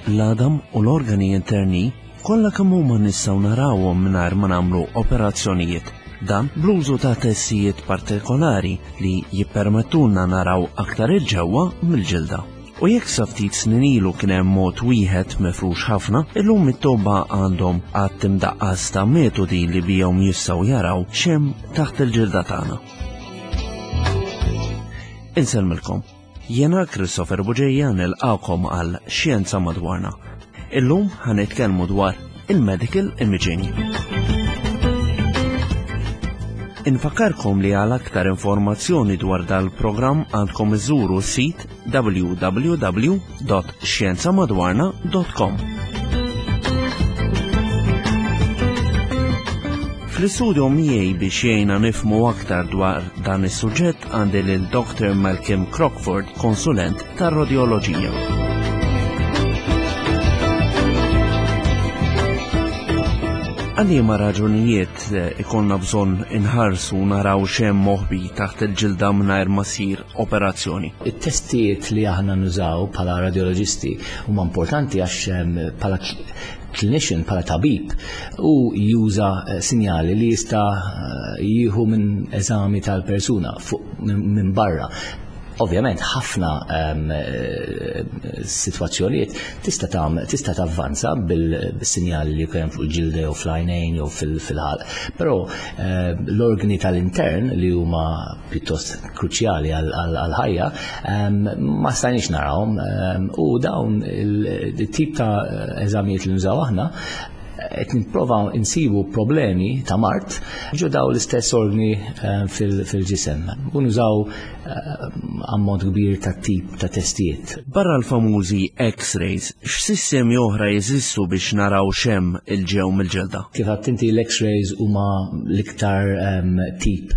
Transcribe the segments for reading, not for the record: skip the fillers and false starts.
L-għadam u l-organi interni kollha kemm huma nistgħu narawhom mingħajr ma nagħmlu operazzjonijiet. Dan bl-użu ta' testijiet partikolari li jippermettulna naraw aktar 'il ġewwa mill-ġilda. U jekk sa ftit snin ilu kien hemm mod wieħed mifrux ħafna, illum it-tobba għandhom għadd imdaqqas ta' metodi li bihom jistgħu jaraw x'hemm taħt il-ġilda tagħna. Insellmilkom. Jiena Christopher Buġeja nilqakom għal Xjenza Madwarna. Illum ħanitkellmu dwar il-medical imaging. Infakkarkom li għal aktar informazzjoni dwar dal-programm għandkom iżuru s-sit www.xjenzamadwarna.com. Fl-istudio miegħi biex jgħinna nifmu aktar dwar dan is-suġġett għandi lil Dr. Malcolm Crockford, konsulent tar-rodjoloġija. Għal liema raġunijiet eh, ikollna bżonn inħarsu naraw x'hemm moħbi taħt il-ġilda mingħajr ma ssir operazzjoni. It-testijiet li aħna nużaw bħala radioloġisti huma importanti għax ehm, bħala clinician, bħala tabib, u juża eh, sinjali li jista' eh, jieħu minn eżami tal-persuna minn barra. Ovvjament ħafna ehm, eh, sitwazzjonijiet tista' tista' tavvanza bil-sinjali li jkun fuq il-ġilda jew fl-għajnejn jew fil-ħalq. Però l-organi tal-intern li huma pjuttost kruċjali għal-ħajja, ehm, ma stajniex narawhom ehm, u dawn il-tip ta' eżamijiet li nużaw aħna qed nipprova insibu problemi ta' mart ġo daw l-istess organi ehm, fil-ġisem. U nużaw ammont kbir ta' tip ta' testijiet. Barra l-famużi X-rays, x'sistemi oħra jeżistu biex naraw x'hemm il-ġew mill-ġilda? Kif għedt inti l-X-rays huma l-iktar tip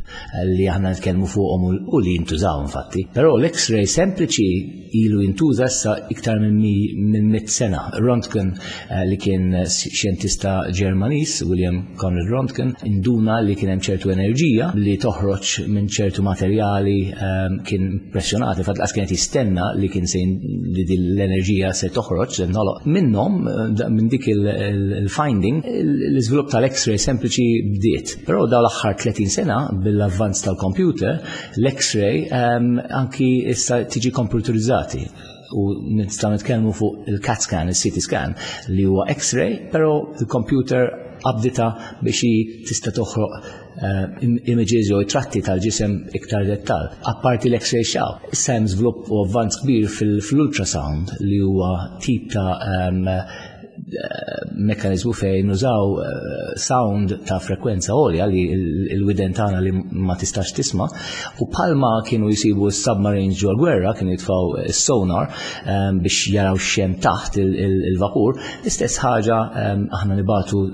li aħna nitkellmu fuqhom u li jintużaw infatti. Però l-X-ray sempliċi ilu jintuża issa iktar minn mit sena. Röntgen eh, li kien xjentista Ġermaniż, William Conrad Röntgen, induna li kien hemm ċertu enerġija li toħroġ minn ċertu materjali eh, kien impressjonati, fatt laqas kienet jistenna li kien se li din l-enerġija se toħroġ, se nħoloq. Minnhom, eh, minn dik il-finding, l-iżvilupp tal-X-ray sempliċi bdiet. Però daw l-aħħar 30 sena bil-avvanz tal-computer, l-X-ray um, anki issa tiġi computerizzati u nistgħu nitkellmu fuq il-CAT scan, il-CT scan li huwa X-ray, però il-computer abdita biex tista' toħroq eh, images jew tratti tal-ġisem iktar dettal. Apparti l-X-ray xaw, issa hemm żvilupp u avvanz kbir fil-ultrasound li huwa tip ta' um, mekkanizmu fejn nużaw eh, sound ta' frekwenza għolja li l-widen tagħna li ma tistax tisma' u palma kienu jisibu s-submarines ġol gwerra kienu jitfaw sonar eh, biex jaraw xem taħt il-vapur, l-istess ħaġa eh, aħna nibatu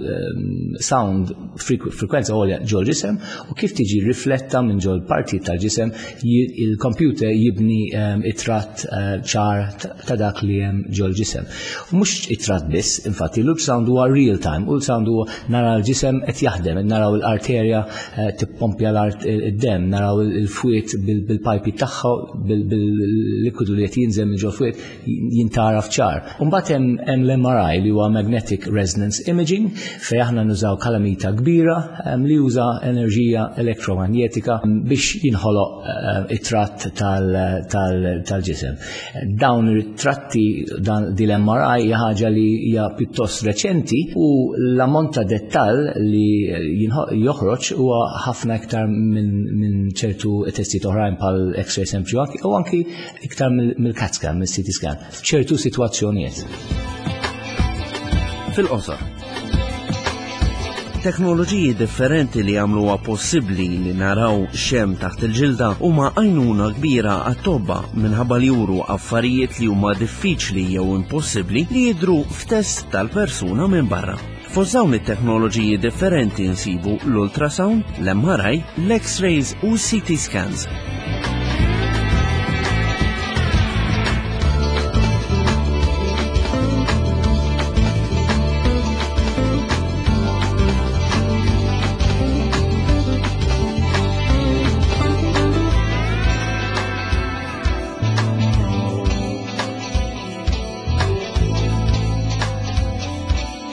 sound frekwenza għolja ġol ġisem u kif tiġi rifletta minn ġol parti tal-ġisem il-computer jibni it-tratt ċar ta' dak li hemm ġol ġisem. U mhux it-tratt biss, infatti l-ultrasound huwa real time, ultrasound huwa nara l-ġisem qed jaħdem, naraw l-arterja eh, tippompja l-art id-dem, naraw il-fwiet bil-pajpi tagħha, bil-likwidu li qed jinżel minn ġol fwiet jintara f'ċar. Imbagħad hemm l-MRI li huwa Magnetic Resonance Imaging fejn aħna nużaw kalamita kbira li juża enerġija elektromagnetika biex jinħoloq eh, it-tratt tal-ġisem. Dawn ir-tratti dan din l-MRI hija ħaġa li hija pjuttost reċenti u l-ammont ta' dettall li joħroġ huwa ħafna iktar minn ċertu testijiet oħrajn bħal X-ray sempliċi u anki iktar mill-CAT scan, mill-CT scan, f'ċertu sitwazzjonijiet. Fil-qosor, Teknoloġiji differenti li jagħmluha possibbli li naraw x'hemm taħt il-ġilda huma għajnuna kbira għat-tobba minħabba li juru affarijiet li huma diffiċli jew impossibbli li jidhru f'test tal-persuna minn barra. Fost dawn it-teknoloġiji differenti nsibu l-ultrasound, l-MRI, l-X-rays u CT scans.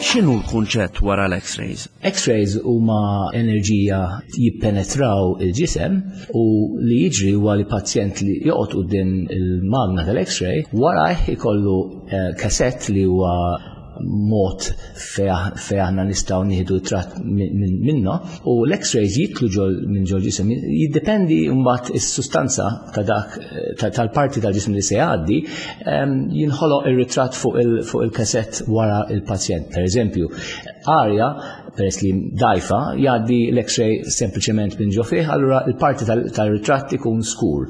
X'inhu l-kunċett wara l-X-rays? X-rays huma enerġija jippenetraw il-ġisem u li jiġri huwa li pazjent li joqgħod quddiem il-magna tal-X-ray warajh ikollu eh, kasett li huwa mod fej aħna nistgħu nieħdu tratt minna u l-X-rays jitlu ġol minn ġol ġisem jiddependi mbagħad is-sustanza ta' dak tal-parti tal-ġisem li se jgħaddi jinħoloq ir-ritratt fuq il-kasett wara il-pazjent. Per eżempju, arja peress li dajfa jgħaddi l-X-ray sempliċement minn ġo fih, allura il-parti tal-ritratt ikun skur.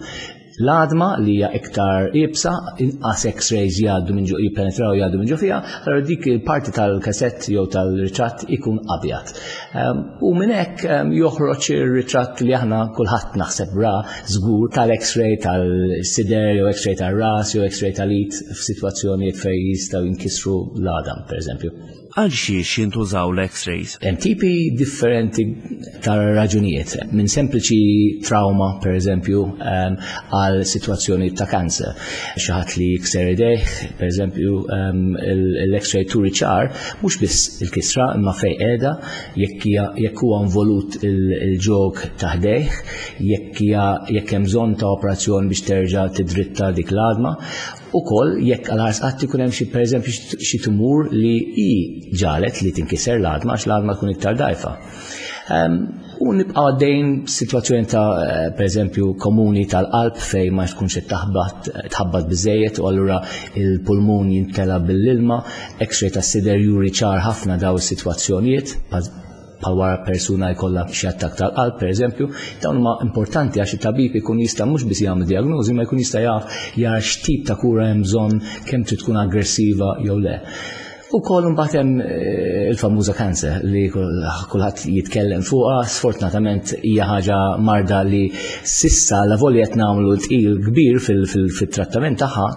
L-għadma li hija iktar iebsa, inqas X-rays jgħaddu minn ġo jippenetraw jgħaddu minn ġo fiha, allura dik il-parti tal-kasett jew tal-ritratt ikun abjad. Ehm, u minn hekk ehm, joħroġ ir-ritratt li aħna kulħadd naħseb ra żgur tal-X-ray tal-sider jew X-ray tal-ras jew X-ray tal-id f'sitwazzjonijiet fejn jistgħu jinkisru l-għadam, pereżempju. Għal xiex jintużaw l-X-rays? Hemm tipi differenti ta' raġunijiet, minn sempliċi trauma, per eżempju, ehm, għal sitwazzjoni ta' kanser. Xi ħadd li jikser idejh, per eżempju, ehm, l-X-ray turi ċar, mhux biss il-kisra imma fejn qiegħda, jekk huwa involut il-ġog ta' ħdejh, jekk jekk hemm bżonn ta' operazzjoni biex terġa' tidritta dik l-għadma. Ukoll jekk għal ħars qatt ikun hemm xi pereżempju xi tumur li hi ġalet li tinkiser l-għadma għax l-għadma tkun iktar dgħajfa. Ehm, u nibqa' għaddejn sitwazzjoni ta' eh, pereżempju komuni tal-qalb fejn ma tkunx qed taħbat tħabbat biżejjed u allura il-pulmun jintela bil-ilma, x-ray tas-sider juri ċar ħafna daw is-sitwazzjonijiet bħal wara persuna jkollha xi attakk tal-qalb pereżempju, dawn huma importanti għax it-tabib ikun jista' mhux biss jagħmel diagnożi ma jkun jista' jaf jara x'tip ta' kura hemm bżonn kemm trid tkun aggressiva jew le. U koll mbagħad hemm eh, il-famuża cancer li kulħadd jitkellem fuqha, sfortunatament hija ħaġa marda li sissa la volja qed nagħmlu tqil kbir fil-trattament tagħha,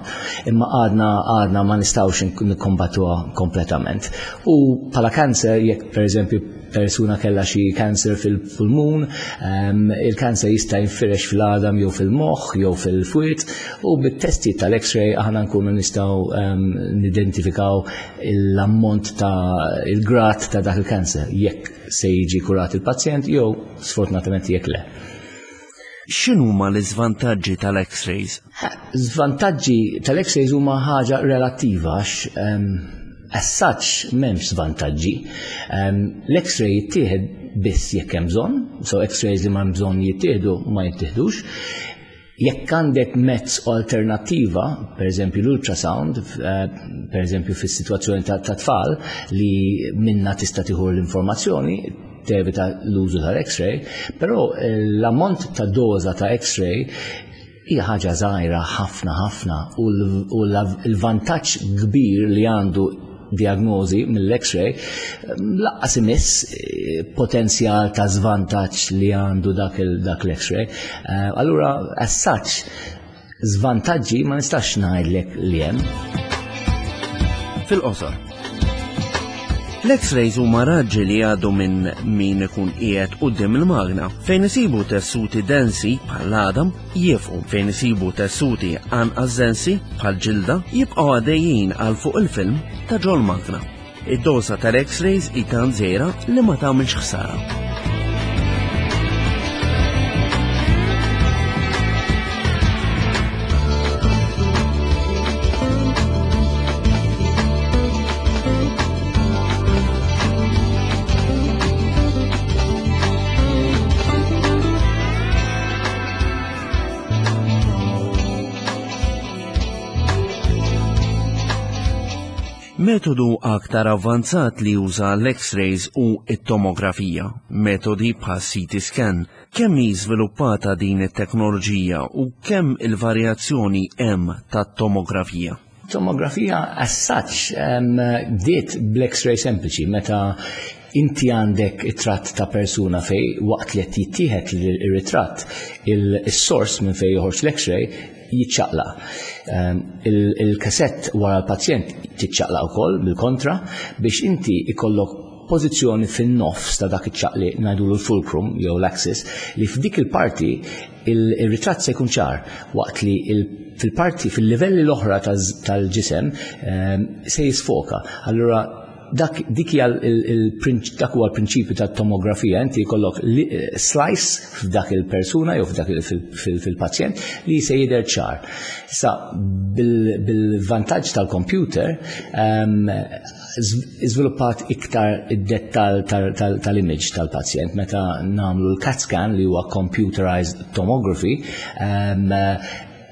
imma għadna għadna ma nistgħux nikkombattuha kompletament. U bħala cancer jekk pereżempju persuna kellha xi cancer fil-pulmun, ehm, il-cancer jista' jinfirex fil-għadam jew fil-moħħ jew fil-fwiet u bit-testi tal-X-ray aħna nkunu nistgħu ehm, nidentifikaw l-ammont ta' il-grad ta' dak il-cancer jekk se jiġi kurat il-pazjent jew sfortunatament jekk le. X'inhuma l-iżvantaġġi tal-X-rays? Żvantaġġi tal-X-rays huma ħaġa relattiva għax ehm, as such m'hemmx żvantaġġi. Ehm, l-X-ray jittieħed biss jekk hemm bżonn, so X-rays li ma hemm bżonn jittieħdu ma jittieħdux. Jekk għandek mezz alternattiva, per eżempju l-ultrasound, eh, per eżempju fis-sitwazzjoni ta' tfal li minna tista' tieħu l-informazzjoni, tevita l-użu tal-X-ray, però eh, l-ammont ta' doża ta' X-ray hija ħaġa żgħira ħafna ħafna u l-vantaġġ kbir li għandu diagnosi mill-X-ray laqqas imiss eh, potenzjal ta' żvantaġġ li għandu dak l-X-ray. Eh, allura, as such, Żvantaġġi ma nistax ngħidlek li hemm. Fil-qosor. L-X-rays huma raġġi li jgħaddu minn min ikun qiegħed quddiem il-magna fejn isibu tessuti densi bħal għadam jifqu fejn isibu tessuti anqas densi bħal ġilda jibqgħu għaddejjin għal fuq il-film ta' ġol magna. Id-doża tal-X-rays hi tant żgħira li ma tagħmilx ħsara. Metodu aktar avvanzat li juża l-X-rays hu t-tomografija, metodi bħas-CT scan. Kemm hi żviluppata din it-teknoloġija u kemm il-varjazzjoni hemm tat-tomografija? Tomografija as such bdiet bl-X-ray sempliċi meta inti għandek it-tratt ta' persuna fej waqt li qed jittieħed ir-ritratt il-sors minn fejn joħorġ l-X-ray jiċċaqlaq. Ehm, il-kasett wara l-pazjent tiċċaqlaq ukoll bil-kontra biex inti ikollok pożizzjoni fin-nofs ta' dak iċ-ċaqli ngħidulu l-fulcrum jew l-axis li f'dik il-parti il-ritratt se jkun ċar waqt li fil-parti fil-livelli l-oħra tal-ġisem ehm, se jisfoka. Allura dak dik hija dak huwa l-prinċipju tat-tomografija, inti jkollok eh, slice f'dak il-persuna jew f'dak fil-pazjent li se jidher ċar. Issa bil-vantaġġ tal-computer ehm, żviluppat iktar id-dettal tal-image tal-pazjent meta nagħmlu l-CAT scan li huwa computerized tomography ehm,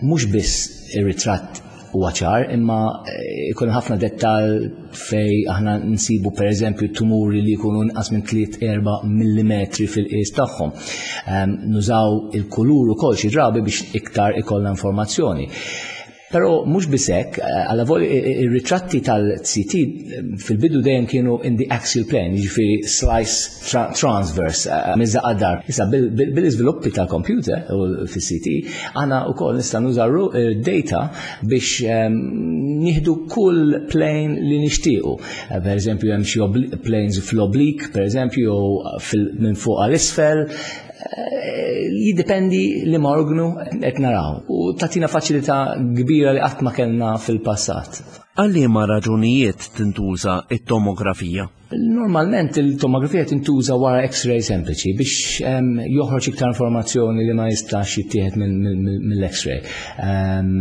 mhux biss ir-ritratt huwa ċar, imma eh, ikun ħafna dettal fej aħna nsibu per eżempju tumuri li jkunu inqas minn 3-4 mm fil-qies tagħhom. Ehm, nużaw il-kulur ukoll xi drabi biex iktar ikollna informazzjoni. Però mhux biss hekk, eh, alla voli ir-ritratti tal-CT eh, fil-bidu dejjem kienu in the axial plane, jiġifieri slice tra transverse, eh, minn għaddar. Issa bil-iżviluppi tal-computer u fis-CT, aħna wkoll nista' nużaw data biex ehm, nieħdu kull plane li nixtiequ. Per eżempju hemm xi planes fl-oblique, per eżempju, minn fuq għal isfel, Eh, jiddependi li ma orgnu qed naraw u tatina faċilità kbira li qatt ma kellna fil-passat. Għal liema raġunijiet tintuża it-tomografija? Normalment il-tomografija tintuża wara X-ray sempliċi biex ehm, joħroġ iktar informazzjoni li ma jistax jittieħed mill-X-ray. Ehm,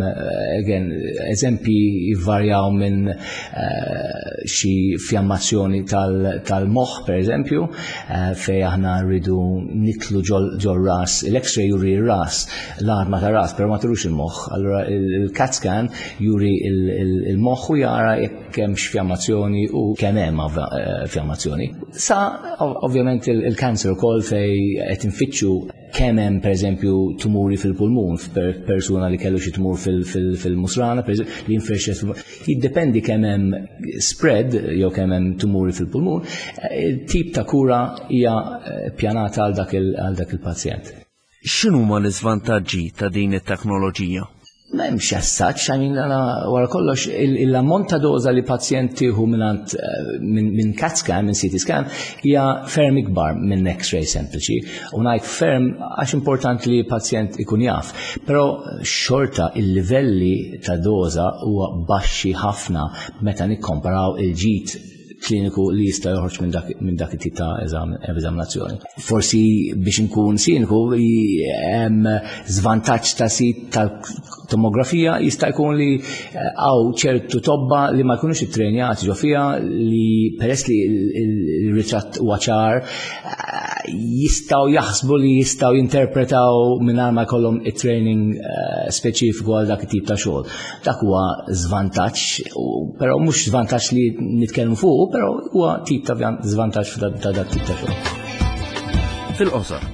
again, eżempji jvarjaw minn eh, xi fjammazzjoni tal-moħħ, per eżempju, Eh, fej aħna rridu nitlu ġol ras, l-x-ray juri ras, l-arma ta' ras, pero ma turux il-moħħ. Allora il-CAT scan juri il-moħħ u jara jekk hemmx fjammazzjoni u kemm hemm eh, fjammazzjoni. Sa ovvjament il-cancer ukoll fej qed infittxu kemm hemm pereżempju tumuri fil-pulmun persuna li kellu xi tumur fil-musrana li jinfirxet jiddependi kemm hemm spread jew kemm hemm tumuri fil-pulmun, eh, tip ta' kura hija eh, pjanata għal dak il-pazjent. X'inhuma l-iżvantaġġi ta' din it-teknoloġija? M'hemmx as such, I mean, wara kollox, l-ammont ta' doża li pazjent tieħu mingħand eh, minn CAT scan, minn CT scan, hija ferm ikbar minn X-ray sempliċi. U ngħid ferm għax importanti li pazjent ikun jaf. Però xorta il-livelli ta' doża huwa baxxi ħafna meta nikkomparaw il-ġid kliniku li jista' joħroġ minn dak minn dak it-tip ta' eżaminazzjoni. Forsi biex inkun siniku hemm żvantaġġ ta' sit tal-tomografija jista' jkun li eh, hawn ċertu tobba li ma jkunux ittrenjati ġo fiha li peress li l-ritratt huwa ċar eh, jistgħu jaħsbu li jistgħu jinterpretaw mingħajr ma jkollhom it-training eh, speċifiku għal dak it-tip ta' xogħol. Dak huwa żvantaġġ, però mhux żvantaġġ li nitkellmu fuq, però huwa tip ta' żvantaġġ ta' dak tip ta' xogħol. Fil-qosor.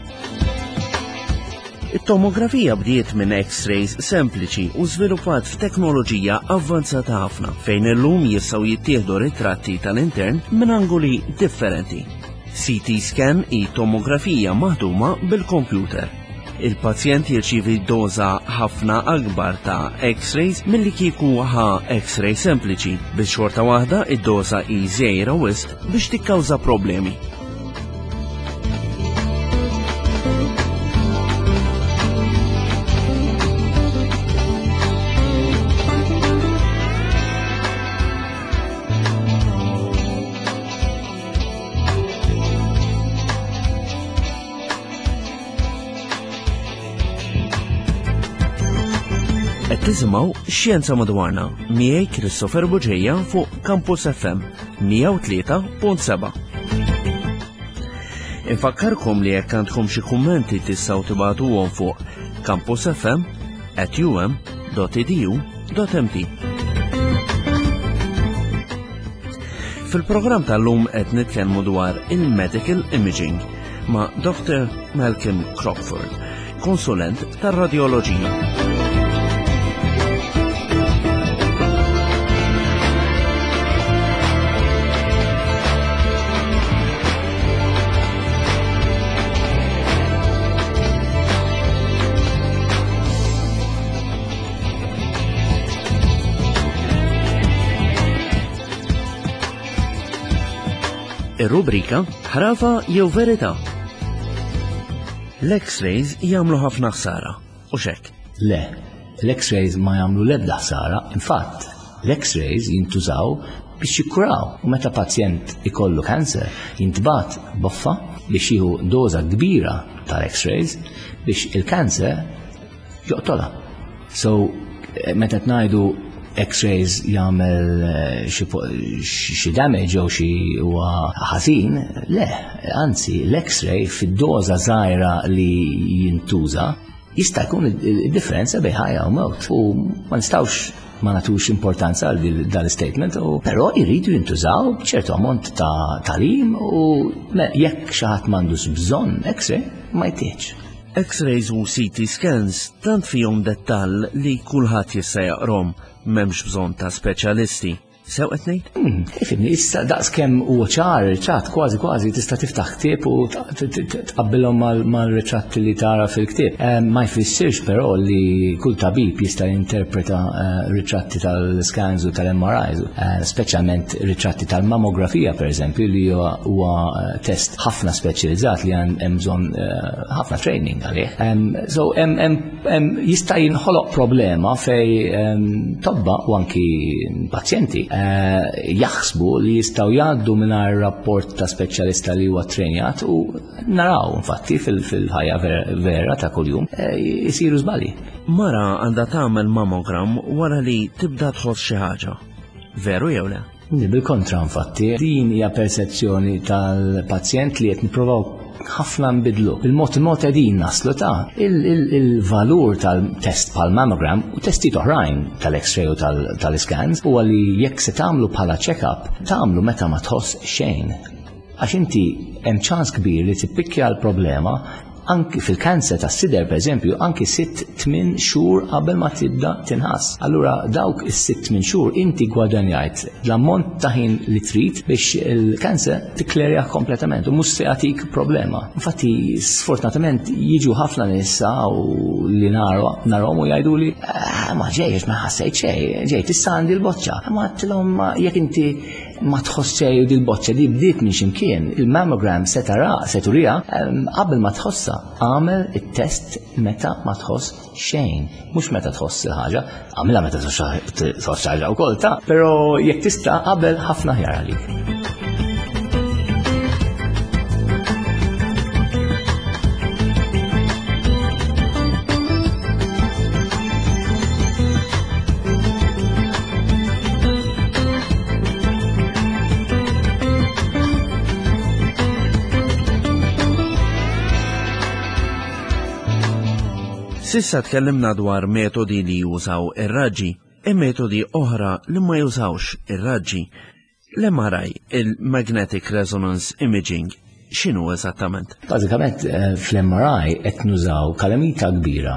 It-tomografija bdiet minn X-rays sempliċi u żviluppat f'teknoloġija avvanzata ħafna fejn illum jistgħu jittieħdu ritratti tal-intern minn angoli differenti. CT scan hi tomografija maħduma bil-kompjuter. Il-pazjent jirċievi doża ħafna akbar ta' X-rays milli kieku ħa X-ray sempliċi, biex xorta waħda id-doża hi żgħira wisq biex tikkawża problemi. Qed tisimgħu Xjenza Madwarna miegħi Christopher Buġeja fuq Campus FM 103.7. Infakkarkom li jekk għandkom xi kummenti tistgħu tibagħtuhom fuq campusfm at um.edu .mt. Fil-programm tal-lum qed nitkellmu dwar il-medical imaging ma' Dr. Malcolm Crockford, konsulent tar-radjoloġija. Ir-rubrika Ħrafa jew Verità. L-X-rays jagħmlu ħafna ħsara, u xek? Le, l-X-rays ma jagħmlu l-ebda ħsara, infatt, L-X-rays jintużaw biex jikkuraw. U meta pazjent ikollu kanser, jintbagħat boffa biex jieħu doża kbira tal-X-rays biex il-kanser joqtolha. So, meta ngħidu X-rays jagħmel eh, xi damage jew xi huwa ħażin, le, anzi l-X-ray fid-doża żgħira li jintuża jista' jkun id-differenza bejn ħajja u mewt. U ma nistgħux ma nagħtux importanza għal dan l-statement, però jridu jintużaw b'ċertu ammont ta' talim u jekk xi ħadd m'għandux bżonn X-ray ma jtieħx. X-rays u CT scans tant fihom dettall li kulħadd jista' jaqrom, m'hemmx bżonn ta' speċjalisti. Sew qed ngħid? Hmm, ifimni, issa daqs kemm huwa ċar ritratt kważi kważi tista' tiftaħ ktieb u tqabbilhom mal-ritratti li tara fil-ktieb. Eh, ma jfissirx però li kull tabib jista' jinterpreta eh, ritratti tal-scans u tal-MRIs, eh, speċjalment ritratti tal-mammografija pereżempju li huwa test ħafna speċjalizzat li hemm bżonn ħafna training għalih. So jista' jinħoloq problema fej tobba u anki pazjenti eh, jaħsbu li jistgħu jgħaddu mingħajr rapport ta' speċjalista li huwa trenjat u naraw infatti fil-ħajja vera ta' kuljum eh, jisiru żbalji. Mara għandha tagħmel mammogram wara li tibda tħoss xi ħaġa. Veru jew le? Bil-kontra infatti, din hija persezzjoni tal-pazjent li qed nipprovaw ħafna nbidlu. Il-mod il-mod qegħdin naslu ta' il-valur tal-test bħal mammogram u testijiet oħrajn tal-x-ray u tal-scans huwa li jekk se tagħmlu bħala check-up, tagħmlu meta ma tħoss xejn. Għax inti hemm ċans kbir li tippikkja l-problema anki fil-kanser tas sider per eżempju, anki 6-8 xhur qabel ma tibda tinħass. Allura dawk is-6-8 xhur inti gwadanjajt l-ammont ta' ħin li trid biex il-kanser tikklerja kompletament u mhux se jagħtik problema. Infatti, sfortunatament jiġu ħafna nisa u li narhom u jgħidu li ah, ma ġejx ma ħassejt xejn, ġejt issa għandi l-boċċa. Ma għedtilhom jekk inti ma tħoss xejn u dil-boċċa di bdiet minn ximkien, il-mammogram se tara, se turija, qabel ma tħossha, għamel it-test meta ma tħoss xejn, mhux meta tħoss il-ħaġa, għamilha meta tħoss ħaġa wkoll ta' però jekk tista' qabel ħafna ħjar għalik. Sissa tkellimna dwar metodi li jużaw ir-raġġi e metodi oħra li ma jużawx ir-raġġi. L-MRI, il-Magnetic Resonance Imaging, x'inhu eżattament? Bażikament eh, fl-MRI qed nużaw kalamita kbira.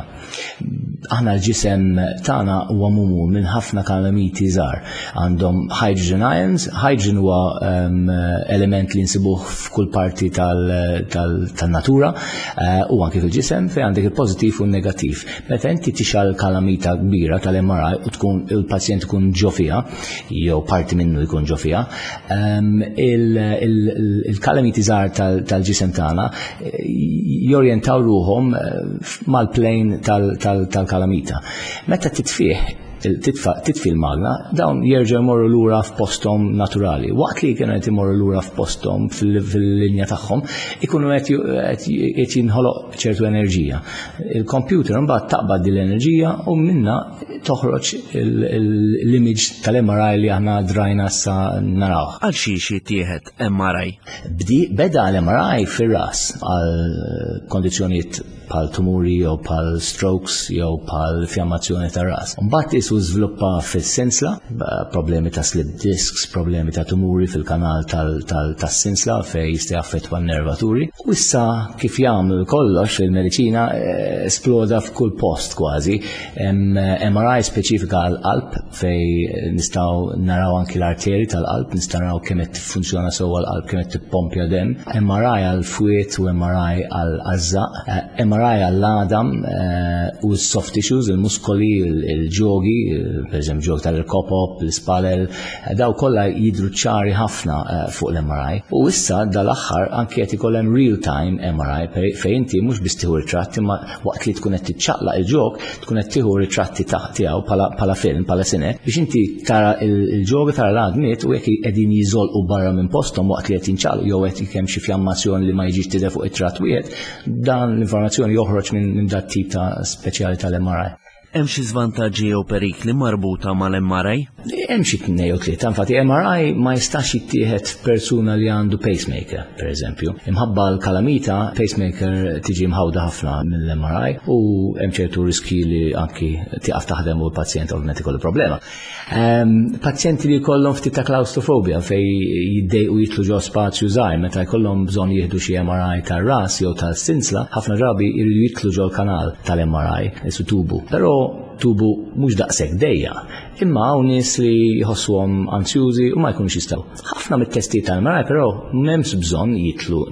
Aħna l-ġisem tagħna huwa mumul minn ħafna kalamiti żgħar. Għandhom hydrogen ions, hydrogen huwa ehm, element li nsibuh f'kull parti tal-natura eh, u anke fil-ġisem fejn għandek il-pożittiv u n-negattiv. Meta inti tixal kalamita kbira tal-MRI u tkun il-pazjent ikun ġo fiha, jew parti minnu jkun ġo fiha, ehm, il-kalamiti żgħar tal-ġisem tagħna eh, jorjentaw ruhom eh, mal-plane tal-kalamita. Meta titfih titfi l-magna, dawn jerġgħu jmorru lura f'posthom naturali. Waqt li kienu qed imorru lura f'posthom fil-linja tagħhom, ikunu qed jinħoloq ċertu enerġija. Il-computer imbagħad taqbad din l-enerġija u minna toħroġ l-image tal-MRI li aħna drajna sa naraw. Għal xiex jittieħed MRI? Bdi beda l-MRI fir-ras għal kondizzjonijiet bħal tumuri jew bħal strokes jew bħal fjammazzjoni tar ras. Mbagħad isu żviluppa fis-sinsla, problemi ta' slip discs, problemi ta' tumuri fil-kanal tas-sinsla fejn jista' jaffettwa n-nervaturi. U issa kif jagħmlu kollox fil-mediċina eh, esploda f'kull post kważi. MRI speċifika għal-qalb fej nistgħu naraw anki l-arteri tal-qalb, nistgħu naraw kemm qed tiffunzjona sewwa l-qalb, kemm qed tippompja dem. MRI għal fwiet u MRI għal għażżaq, eh, MRI MRI għall-għadam u s-soft tissues, il-muskoli, il-ġogi, per eżempju ġog tal-irkopop, l-ispalel, daw kollha jidru ċari ħafna fuq l-MRI. U issa dal-aħħar anke qed ikollhem real-time MRI fejn inti mhux biss tieħu ritratt imma waqt li tkun qed tiċċaqlaq il-ġog tkun qed tieħu ritratti tiegħu bħala film, bħala sine, biex inti tara il-ġoga tara l-għadmiet u jekk qegħdin jiżolqu barra minn posthom waqt li qed jinċaqlu jew qed kemm xi fjammazzjoni li ma jiġix tidher fuq it-tratt wieħed, dan l-informazzjoni joħroġ minn dat tip ta' speċjali tal-MRI. Hemm xi żvantaġġi jew perikli marbuta mal-MRI? Hemm xi tnejn jew tlieta, infatti MRI ma jistax jittieħed f'persuna li għandu pacemaker, per eżempju. Imħabba l-kalamita, pacemaker tiġi mħawda ħafna mill-MRI u hemm ċertu riski li anki tieqaf taħdem u l-pazjent ovvjament ikollu problema. Pazjenti li jkollhom ftit ta' klaustrofobja fej jiddejqu jitlu ġo spazju żgħir meta jkollhom bżonn jieħdu xi MRI tar-ras jew tal-sinsla, ħafna drabi jridu jitlu ġol kanal tal-MRI, isu tubu. Però tubu mhux daqshekk dejja, imma hawn nies li jħossuhom anzjużi u ma jkunux jistgħu. Ħafna mit-testijiet tal-MRI però m'hemmx bżonn jitlu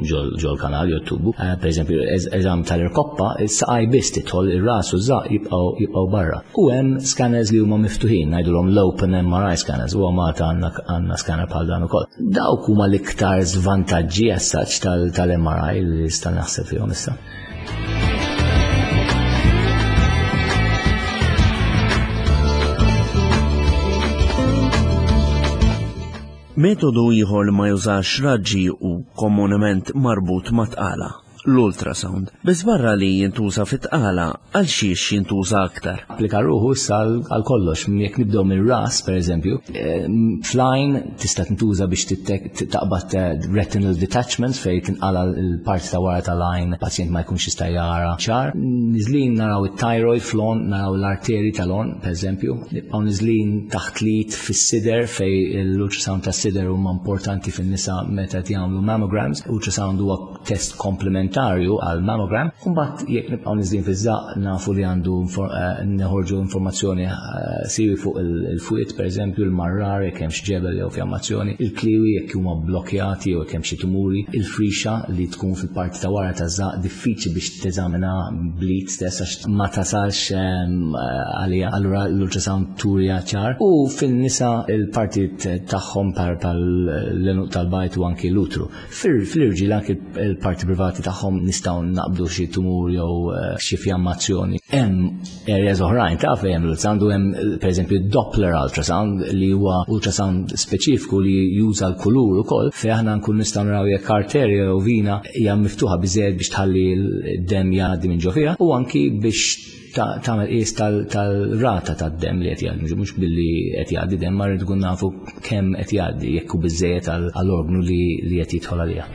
ġol kanal jew tubu. Eh, per eżempju, eżam tal-irkoppa, is-saqaj biss tidħol ir-ras u żaq jibqgħu barra. U hemm scanners li huma miftuħin, ngħidulhom l-open MRI scanners, u Malta għandna scanner bħal dan ukoll. Dawk huma l-iktar żvantaġġi as such tal-MRI li nista' naħseb fihom issa. Metodu ieħor li ma jużax raġġi u komunement marbut ma' tqala, l-ultrasound. Biss barra li jintuża fit-tqala, għal xiex jintuża aktar? Applika ruħu issa għal kollox. Jekk nibdew mir-ras, per eżempju, eh, fl-għajn tista' tintuża biex taqbad eh, retinal detachments fejn tinqala l-parti ta' wara tal-għajn pazjent ma jkunx jista' jara ċar. Niżlin naraw it-thyroid flon, naraw l-arteri tal-on, per eżempju. Nibqgħu niżlin taħt l-id fis-sider fej l-ultrasound tas-sider huma importanti fin-nisa meta qed jagħmlu mammograms. Ultrasound huwa test komplementarju għal mammogram. Imbagħad jekk nibqgħu niżlin fiż-żaq nafu li għandu eh, neħorġu informazzjoni eh, siwi fuq il-fwiet pereżempju il-marrar jekk hemm xi ġebel jew fjammazzjoni, il-kliwi jekk huma blokkjati jew jekk hemm xi tumuri, il-frixa li tkun fil-parti ta' wara taż-żaq diffiċli biex teżamina blit stess għax ma tasalx ehm, għalija allura l-ultrasound turja ċar u fin-nisa il-partit tagħhom par tal-lenuq tal-bajt u anki l-utru. Fil-irġiel anki il-parti privati tagħhom nistgħu naqbdu xi tumur jew eh, xi fjammazzjoni. Hemm areas oħrajn ta' fejn hemm l-ultrasound u hemm pereżempju Doppler ultrasound li huwa ultrasound speċifiku li juża l-kulur ukoll fejn aħna nkun nistgħu naraw jekk arterja jew vina hija miftuħa biżejjed biex tħalli d-demm jgħaddi minn ġo fiha u anki biex tagħmel qies tal-rata tad-demm li qed jgħaddi, mhux billi qed jgħaddi demm, ma rrid nkun nafu kemm qed jgħaddi jekk hu biżejjed għall-orgnu li qed jidħol għaliha.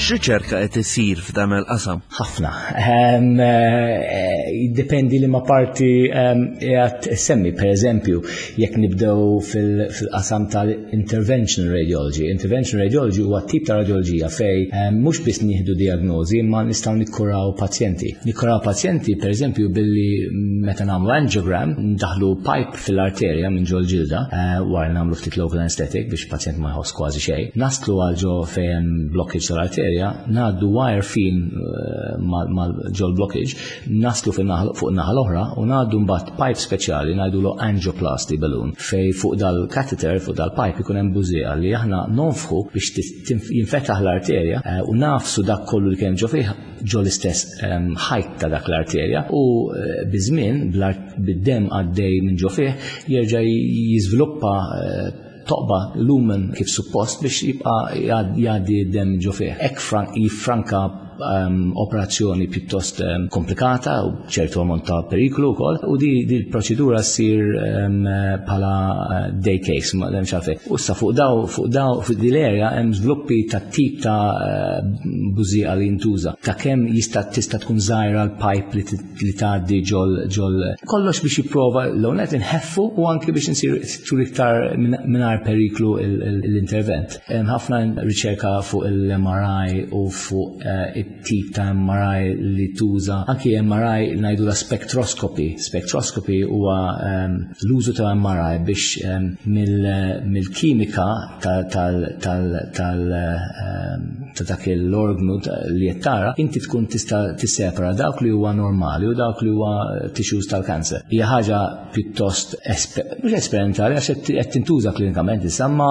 X'riċerka qed isir f'dan il-qasam? Ħafna. Ehm, eh, jiddependi li ma parti ehm, qiegħed semmi, per eżempju, jekk nibdew fil-qasam tal-intervention radiology. Intervention radiology huwa tip ta' radioloġija fej ehm, mhux biss nieħdu diagnosi imma nistgħu nikkuraw pazjenti. Nikkuraw pazjenti, per eżempju, billi meta nagħmlu angiogram, ndaħlu pipe fil-arterja minn ġol ġilda, eh, wara nagħmlu ftit local anesthetic biex pazjent ma jħoss kważi xejn. Naslu għal ġo fejn blockage tal-arterja, ngħaddu wire fin eh, mal ġol blockage, naslu fuq naħa l-oħra u ngħaddu mbagħad pipe speċjali ngħidulu angioplasty balloon fej fuq dal-catheter fuq dal-pipe ikun hemm bużieqa li aħna nonfħu biex jinfetaħ l-arterja eh, u nafsu dak kollu li kemm ġo fih ġo l-istess ehm, ħajt ta' dak l-arterja u eh, biż-żmien bid-demm għaddej minn ġo fih jerġa' jiżviluppa eh, toqba lumen kif suppost biex jibqa' jgħaddi d-demm ġo fih. Hekk jiffranka um, operazzjoni pjuttost um, komplikata u ċertu ammont ta' periklu wkoll u di, di l-proċedura ssir um, bħala eh, day case ma hemm xafe. U issa fuq daw fuq daw fuq di l-area hemm żviluppi ta' tip ta' eh, bużieqa li jintuża ta' kemm jista' tista' tkun żgħira l-pipe li li tgħaddi ġol ġol kollox biex jipprova l-għonet inħeffu u anki biex insir tul iktar mingħajr periklu l-intervent. Hemm ħafna riċerka fuq il-MRI u fuq eh, it-tip ta' MRI li tuża, anki MRI ngħidu la spectroscopy. Spectroscopy huwa ehm, l-użu ta' MRI biex ehm, mill-kimika tal ehm, ta' dak l-orgnu li qed tara, inti tkun tista' tissepara dawk li huwa normali u dawk li huwa tissues tal-kanser. Hija ħaġa pjuttost mhux esperimentali għax qed tintuża klinikament issa ma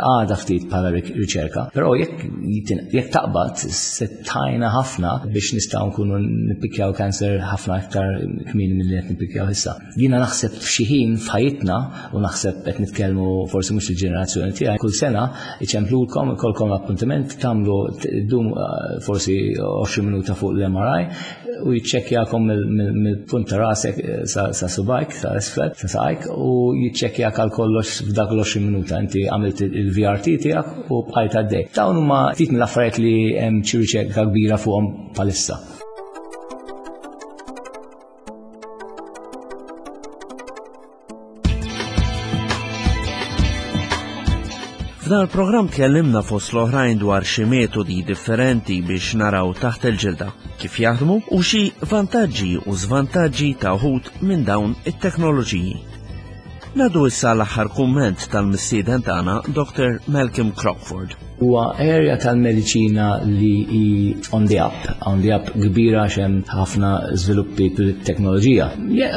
għadha ftit bħala riċerka. Però jekk jekk taqbad se tajna ħafna biex nistgħu nkunu nippikjaw kanser ħafna aktar kmieni milli qed nippikjaw issa. Jiena naħseb f'xi ħin f'ħajjitna u naħseb qed nitkellmu forsi mhux il-ġenerazzjoni tiegħi kull sena iċemplulkom ikolkom appuntament tagħmlu dum eh, forsi 20 minuta fuq l-MRI u jiċċekkjakom mill-punt ta' rasek eh, sa subajk, sa isfel, sa saqajk u jiċċekkjak għal kollox f'dak l-20 minuta. Inti għamilt il-VRT tiegħek u bqajt għaddej. Dawn huma ftit mill-affarijiet li hemm xi riċerka kbira fuqhom bħalissa. F'dan il-programm tkellimna fost l-oħrajn dwar xi metodi differenti biex naraw taħt il-ġilda, kif jaħdmu u xi vantaġġi u żvantaġġi ta' uħud minn dawn it-teknoloġiji. Nadu issa l-aħħar kumment tal-mistieden tagħna Dr. Malcolm Crockford. Huwa area tal-mediċina li hi on the up, on the up kbira għax hemm ħafna żviluppi fil-teknoloġija.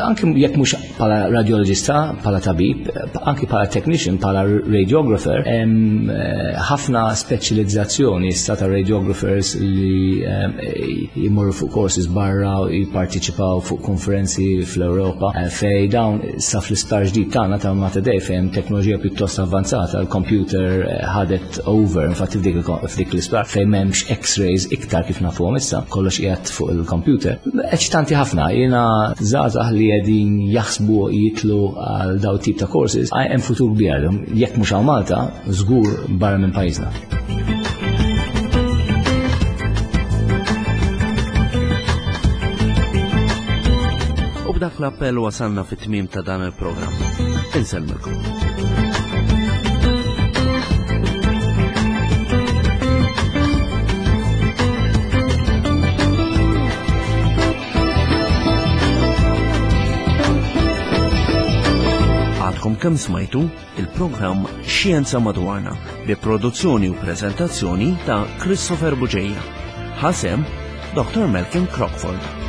Anki jekk mhux bħala radiologista, bħala tabib, anki bħala technician, bħala radiographer, hemm eh, ħafna speċjalizzazzjoni issa ta' radiographers li eh, jmorru fuq courses barra u jipparteċipaw fuq konferenzi fl-Ewropa eh, fej dawn sa fl-isptar ġdid tagħna ta' Mater Dei fejn teknoloġija pjuttost avvanzata, l-computer ħadet over, infatti f'dik l-isptar fejn m'hemmx x-rays iktar kif nafuhom issa, kollox qiegħed fuq il-computer. Eċitanti ħafna, jiena żgħażagħ li qegħdin jaħsbu jitlu għal daw tip ta' courses, hemm futur kbir għalihom, jekk mhux hawn Malta, żgur barra minn pajjiżna. U b'dak l-appell wasalna fit-tmiem ta' dan il-programm. Insellmilkom. Għadkom kemm smajtu il-programm Xjenza Madwarna bi produzzjoni u prezentazzjoni ta' Christopher Buġeja. Ħasem Dr. Malcolm Crockford.